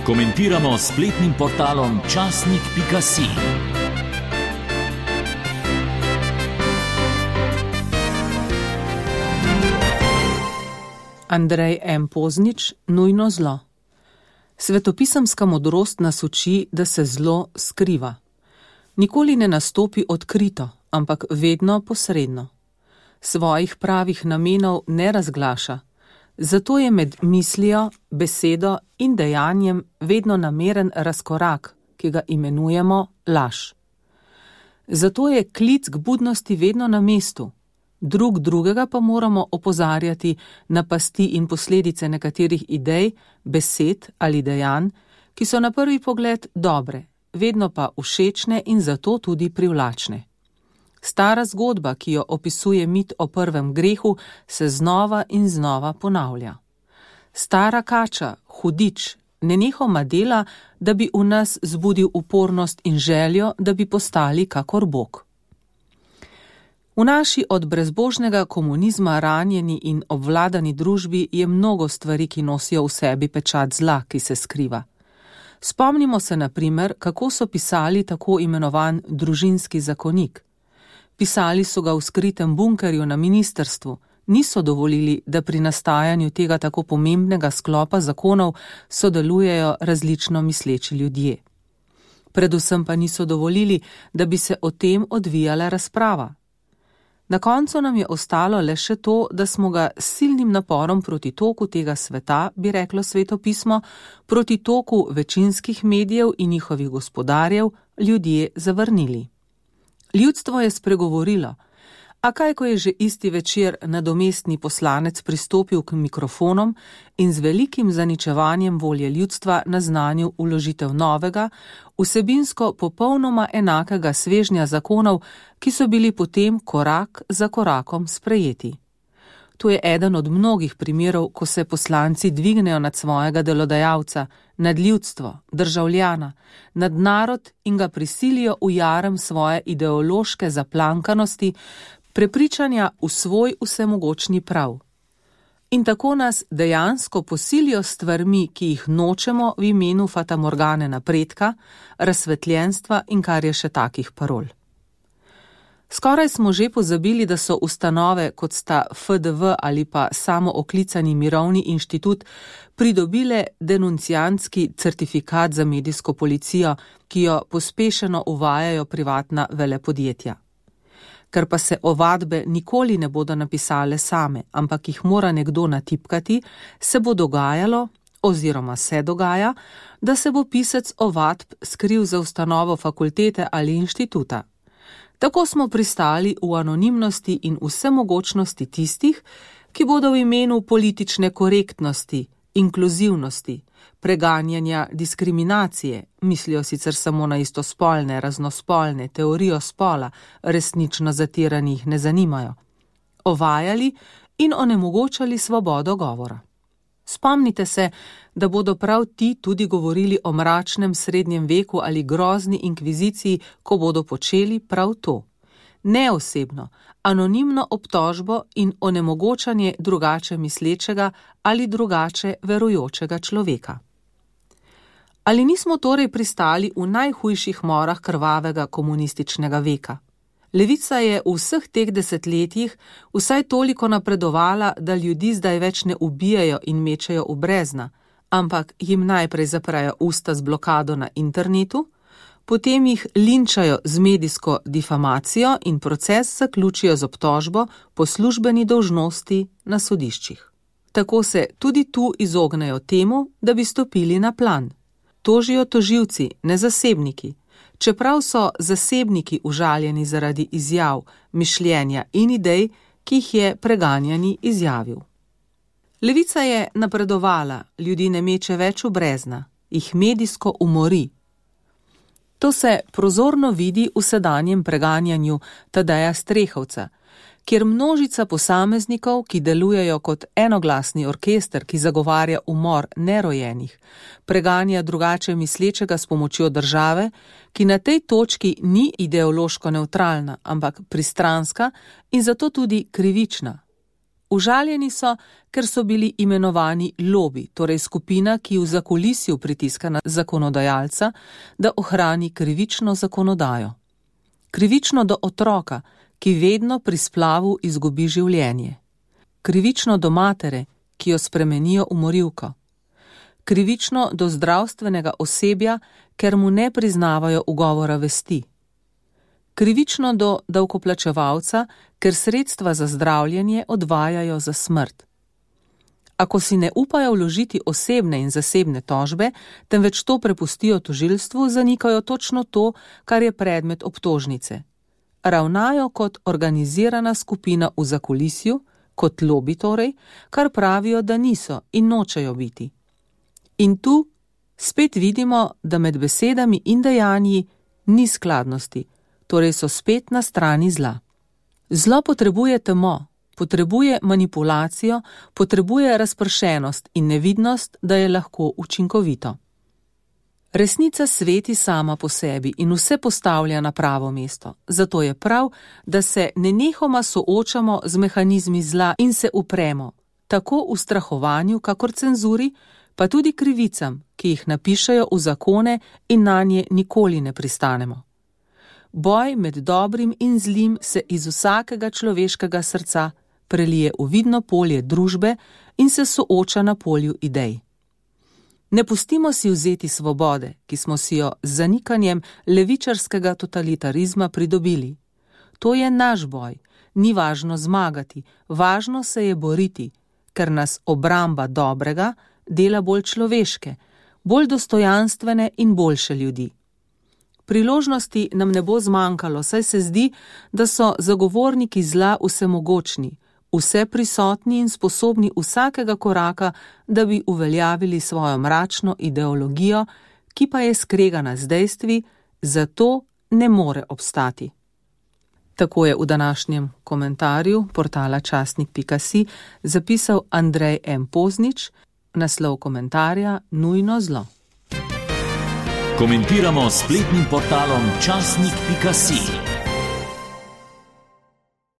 Komentiramo s spletnim portalom časnik.si. Andrej M. Poznič, Nujno zlo. Svetopisemska modrost nas uči, da se zlo skriva. Nikoli ne nastopi odkrito, ampak vedno posredno. Svojih pravih namenov ne razglaša, zato je med mislijo, besedo in dejanjem vedno nameren razkorak, ki ga imenujemo laž. Zato je klic k budnosti vedno na mestu, drugega pa moramo opozarjati na pasti in posledice nekaterih idej, besed ali dejanj, ki so na prvi pogled dobre, vedno pa všečne in zato tudi privlačne. Stara zgodba, ki jo opisuje mit o prvem grehu, se znova in znova ponavlja. Stara kača, hudič, nenehoma dela, da bi v nas zbudil upornost in željo, da bi postali kakor Bog. V naši od brezbožnega komunizma ranjeni in obvladani družbi je mnogo stvari, ki nosijo v sebi pečat zla, ki se skriva. Spomnimo se na primer, kako so pisali tako imenovan družinski zakonik. Pisali so ga v skritem bunkerju na ministrstvu, niso dovolili, da pri nastajanju tega tako pomembnega sklopa zakonov sodelujejo različno misleči ljudje. Predvsem pa niso dovolili, da bi se o tem odvijala razprava. Na koncu nam je ostalo le še to, da smo ga s silnim naporom proti toku tega sveta, bi reklo Sveto pismo, proti toku večinskih medijev in njihovih gospodarjev, ljudje zavrnili. Ljudstvo je spregovorilo, a kaj, ko je že isti večer nadomestni poslanec pristopil k mikrofonom in z velikim zaničevanjem volje ljudstva naznanil vložitev novega, vsebinsko popolnoma enakega svežnja zakonov, ki so bili potem korak za korakom sprejeti. To je eden od mnogih primerov, ko se poslanci dvignejo nad svojega delodajalca, nad ljudstvo, državljana, nad narod in ga prisilijo v jarem svoje ideološke zaplankanosti, prepričanja v svoj vsemogočni prav. In tako nas dejansko posilijo s stvarmi, ki jih nočemo v imenu fatamorgane napredka, razsvetljenstva in kar je še takih parol. Skoraj smo že pozabili, da so ustanove, kot sta FDV ali pa samooklicani Mirovni inštitut, pridobile denunciantski certifikat za medijsko policijo, ki jo pospešeno uvajajo privatna velepodjetja. Ker pa se ovadbe nikoli ne bodo napisale same, ampak jih mora nekdo natipkati, se bo dogajalo, oziroma se dogaja, da se bo pisec ovadb skril za ustanovo fakultete ali inštituta. Tako smo pristali v anonimnosti in vsemogočnosti tistih, ki bodo v imenu politične korektnosti, inkluzivnosti, preganjanja diskriminacije, mislijo sicer samo na istospolne, raznospolne, teorijo spola, resnično zatiranih ne zanimajo, ovajali in onemogočali svobodo govora. Spomnite se, da bodo prav ti tudi govorili o mračnem srednjem veku ali grozni inkviziciji, ko bodo počeli prav to. Neosebno, anonimno obtožbo in onemogočanje drugače mislečega ali drugače verujočega človeka. Ali nismo torej pristali v najhujših morah krvavega komunističnega veka? Levica je v vseh teh desetletjih vsaj toliko napredovala, da ljudi zdaj več ne ubijajo in mečejo v brezna, ampak jim najprej zaprejo usta z blokado na internetu, potem jih linčajo z medijsko difamacijo in proces zaključijo z obtožbo po službeni dolžnosti na sodiščih. Tako se tudi tu izognejo temu, da bi stopili na plan. Tožijo tožilci, ne zasebniki. Čeprav so zasebniki užaljeni zaradi izjav, mišljenja in idej, ki jih je preganjani izjavil. Levica je napredovala, ljudi ne meče več v brezna, jih medijsko umori. To se prozorno vidi v sedanjem preganjanju Tadeja Strehovca, kjer množica posameznikov, ki delujejo kot enoglasni orkester, ki zagovarja umor nerojenih, preganja drugače mislečega s pomočjo države, ki na tej točki ni ideološko nevtralna, ampak pristranska in zato tudi krivična. Užaljeni so, ker so bili imenovani lobi, torej skupina, ki v zakulisju pritiska na zakonodajalca, da ohrani krivično zakonodajo. Krivično do otroka, ki vedno pri splavu izgubi življenje. Krivično do matere, ki jo spremenijo v morilko. Krivično do zdravstvenega osebja, ker mu ne priznavajo ugovora vesti. Krivično do davkoplačevalca, ker sredstva za zdravljenje odvajajo za smrt. Ako si ne upajo vložiti osebne in zasebne tožbe, temveč to prepustijo tožilstvu, zanikajo točno to, kar je predmet obtožnice. Ravnajo kot organizirana skupina v zakulisju, kot lobi torej, kar pravijo, da niso in nočejo biti. In tu spet vidimo, da med besedami in dejanji ni skladnosti, torej so spet na strani zla. Zlo potrebuje temo, potrebuje manipulacijo, potrebuje razpršenost in nevidnost, da je lahko učinkovito. Resnica sveti sama po sebi in vse postavlja na pravo mesto, zato je prav, da se nenehoma soočamo z mehanizmi zla in se upremo, tako v strahovanju, kakor cenzuri, pa tudi krivicam, ki jih napišejo v zakone in nanje nikoli ne pristanemo. Boj med dobrim in zlim se iz vsakega človeškega srca prelije v vidno polje družbe in se sooča na polju idej. Ne pustimo si vzeti svobode, ki smo si jo z zanikanjem levičarskega totalitarizma pridobili. To je naš boj, ni važno zmagati, važno se je boriti, ker nas obramba dobrega dela bolj človeške, bolj dostojanstvene in boljše ljudi. Priložnosti nam ne bo zmanjkalo, saj se zdi, da so zagovorniki zla vsemogočni, vse prisotni in sposobni vsakega koraka, da bi uveljavili svojo mračno ideologijo, ki pa je skregana z dejstvi, zato ne more obstati. Tako je v današnjem komentarju portala časnik.si zapisal Andrej M. Poznič, naslov komentarja Nujno zlo. Komentiramo s spletnim portalom časnik.si.